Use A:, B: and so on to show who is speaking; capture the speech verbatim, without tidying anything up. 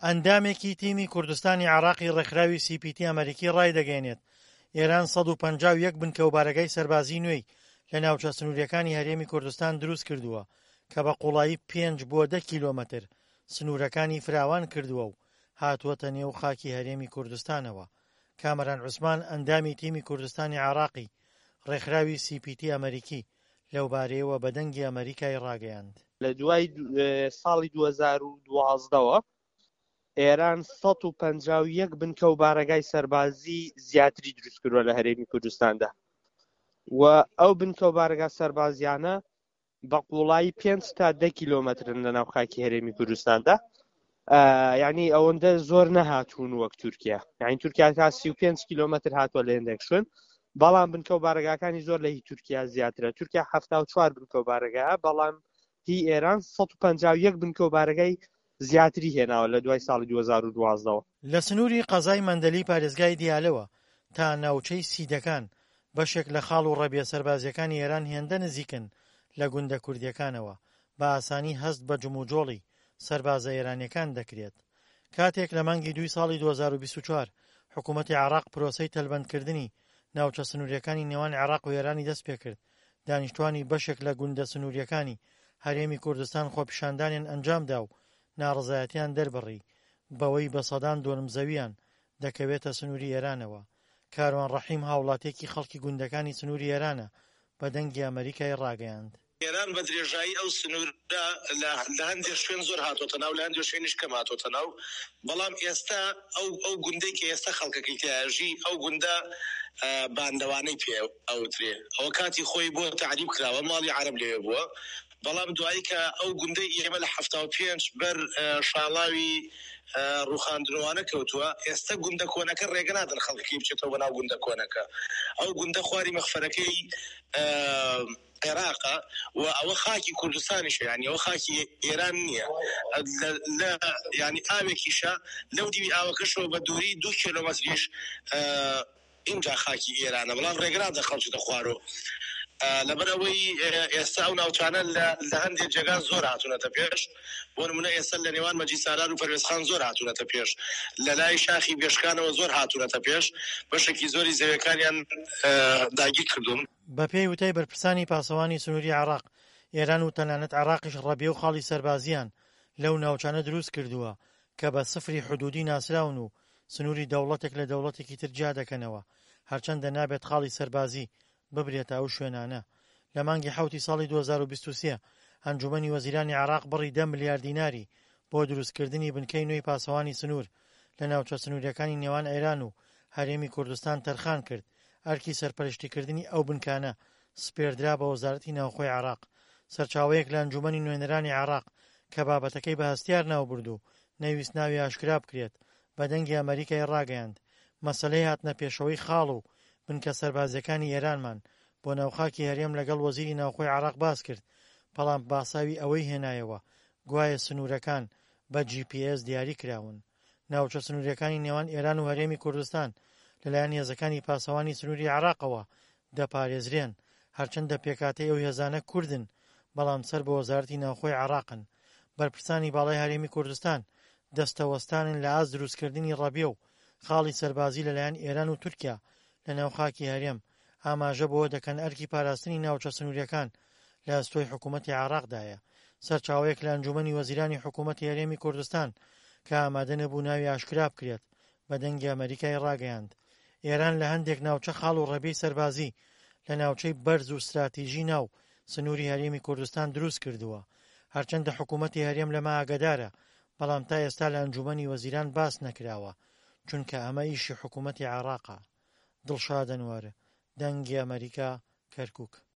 A: ئەندامێکی تیمی کوردستانی عێراقی ڕێکخراوی سی پی تی ئەمەریکی ڕایدەگەیەنێت، ئێران سەد و پەنجا و یەک بنکە و بارەگای سەربازی نوێی لە ناوچە سنووریەکانی هەرێمی کوردستان دروست کردووە کە بە قوڵایی پێنج بۆ دە کیلۆمەتر سنوورەکانی فراوان کردووە و هاتووەتە نێو خاکی هەرێمی کوردستانەوە. کامەران عوسمان ئەندامی تیمی کوردستانی عێراقی ڕێکخراوی سی پی تی ئەمەریکی لەوبارەیەوە بە دەنگی ئەمەریکای ڕاگەیاند.
B: لە دوای ساڵی دوو هەزار و دوازدەوە ئێران سەد و پەنجا و یەک بنکە و بارەگای سەربازی زیاتری دروست کردووە لە هەرێمی کوردستاندا و ئەو بنکە و بارەگا سەربازیانە بە قوڵایی پێنج تا دە کیلۆمەترن لە ناو خاکی هەرێمی کوردستاندا. یعنی ئەوەندە زۆر نەهاتوون وەک تورکیا، یعنی تورکیا تا سی و پێنج کیلۆمەتر هاتووە لە هێندێک شوێن، بەڵام بنکە و بارەگاکانی زۆر لە هی تورکیا زیاترە. تورکیا حەفتا و چوار بنکە و بارەگا، بەڵام هی ئێران سەد و پەنجا و یەک بنکە و بارەگای زیاتری هێناوە لە دوای ساڵی دوو هەزار و دوازدەوە.
A: لە سنووری قەزای مەندەلی پارێزگای دیالەوە تا ناوچەی سیدەکان بەشێک لە خاڵ و ڕەبیە سەربازیەکانی ئێران هێندە نزیکن لە گوندە کوردیەکانەوە بە ئاسانی هەست بە جموجۆڵی سەربازە ئێرانیەکان دەکرێت. کاتێک لە مانگی دووی ساڵی دوو هەزار و بیست و چوار حکوومەتی عێراق پرۆسەی تەلبەندکردنی ناوچە سنووریەکانی نێوان عێراق و ئێرانی دەست پێکرد، دانیشتوانی بەشێک لە گوندە سنووریەکانی هەرێمی کوردستان خۆپیشاندانیان ئەنجامدا و ناڕەزایەتیان دەربڕی بەوەی بە سەدان دۆنم زەویان دەکەوێتە سنووری ئێرانەوە. کاروان ڕەحیم هاوڵاتیەکی خەڵکی گوندەکانی سنووری ئێرانە بە دەنگی ئەمەریکای ڕاگەیاند.
C: ئێران بە درێژایی ئەو سنوورە لە هەندێک شوێن زۆر هاتۆتە ناو، لە هەندێک شوێنیش کەم هاتۆتە ناو، بەڵام ئێستا ئەو ئەو گوندەی کە ئێستا خەڵکەکەی تیاژی ئەو گوندە باندەوانەی پێ ئەوترێ، ئەوە کاتی خۆی بۆ تعریب کراوە، ماڵی عەرەب لەوێ بووە، بەڵام دوایی کە ئەو گوندەی ئێمە لە حەفتا و پێنج بەر شاڵاوی ڕوخاندنەوانە کەوتووە، ئێستا گوندە کۆنەکە ڕێگە نادەن خەڵکەکەی بچێتەوە بەناو گوندە کۆنەکە. ئەو گوندە خواری مەخفەرەکەی عێراقە و ئەوە خاکی کوردستانیشە، یعنی ئەوە خاکی ئێران نییە. لە یعنی ئاوێکیشە لەو دیوی ئاوەکەشەوە بە دووری دوو کیلۆمەتریش اینجا خاکی ئێرانە، بەڵام ڕێگە نادەن خەڵکی خوارەوە. لەبەر ئەوەی ئێستا ئەو ناوچانە لە هەندێک جێگا زۆر هاتوونەتە پێش، بۆ نمونە ئێستا لە نێوان مەجید سالار و پەروێزخان زۆر هاتوونەتە پێش، لە لای شاخی بێشکانەوە زۆر هاتوونەتە پێش، بەشێکی زۆری زەویەکانیان داگیر کردوون.
A: بە پێی وتەی بەرپرسانی پاسەوانی سنووری عێراق، ئێران و تەنانەت عێراقیش ڕەبیە و خاڵی سەربازیان لەو ناوچانە دروست کردووە کە بە سفری حدودی ناسراون و سنووری دەوڵەتێک لە دەوڵەتێکی تر جیا دەکەنەوە، هەرچەندە نابێت خاڵی سەربازی ببرێتە ئەو شوێنانە. لە مانگی حەوتی ساڵی دوو هەزار و بیست و سێ ئەنجومەنی وەزیرانی عێراق بڕی دە ملیار دیناری بۆ دروستکردنی بنکەی نوێی پاسەوانی سنوور لە ناوچە سنووریەکانی نێوان ئێران و هەرێمی کوردستان تەرخان کرد. ئەرکی سەرپەرشتیکردنی ئەو بنکانە سپێردرا بە وەزارەتی ناوخۆی عێراق. سەرچاوەیەک لە ئەنجومەنی نوێنەرانی عێراق کە بابەتەکەی بە هەستیار ناوبرد و نەویست ناوی ئاشکرا بکرێت بە دەنگی ئەمریکای ڕاگەیاند مەسلەی هاتنە پێشەوەی خاڵ و بنکە سەربازیەکانی ئێرانمان بۆ ناوخاکی هەرێم لەگەڵ وەزیری ناوخۆی عێراق باس کرد، بەڵام باساوی ئەوەی هێنایەوە گوایە سنوورەکان بە جی پی ئێس دیاری کراون. ناوچە سنووریەکانی نێوان ئێران و هەرێمی کوردستان لەلایەن هێزەکانی پاسەوانی سنووری عێراقەوە دەپارێزرێن، هەرچەندە پێکاتەی ئەو هێزانە کوردن بەڵام سەر بە وەزارەتی ناوخۆی عێراقن. بەرپرسانی باڵای هەرێمی کوردستان دەستەوەستانن لە ئاست دروستکردنی ڕەبیە و خاڵی سەربازی لەلایەن ئێران و تورکیا لە ناو خاکی هەرێم. ئاماژە بەوە دەکەن ئەرکی پاراستنی ناوچە سنووریەکان لە ئەستۆی حکوومەتی عێراقدایە. سەرچاوەیەک لە ئەنجومەنی وەزیرانی حکوومەتی هەرێمی کوردستان کە ئامادە نەبوو ناوی ئاشکرا بکرێت بە دەنگی ئەمریکای ڕاگەیاند ئێران لە هەندێک ناوچە خاڵ و ڕەبیەی سەربازی لە ناوچەی بەرز و استراتیژی ناو سنووری هەرێمی کوردستان دروست کردووە. هەرچەندە حکوومەتی هەرێم لەمە ئاگادارە، بەڵام تا ئێستا لە ئەنجومەنی وەزیران باس نەکراوە، چونکە ئەمە ئیشی حکوومەتی عێراقە. دڵشاد ئەنوەر، دەنگی ئەمریکا، کەرکووک.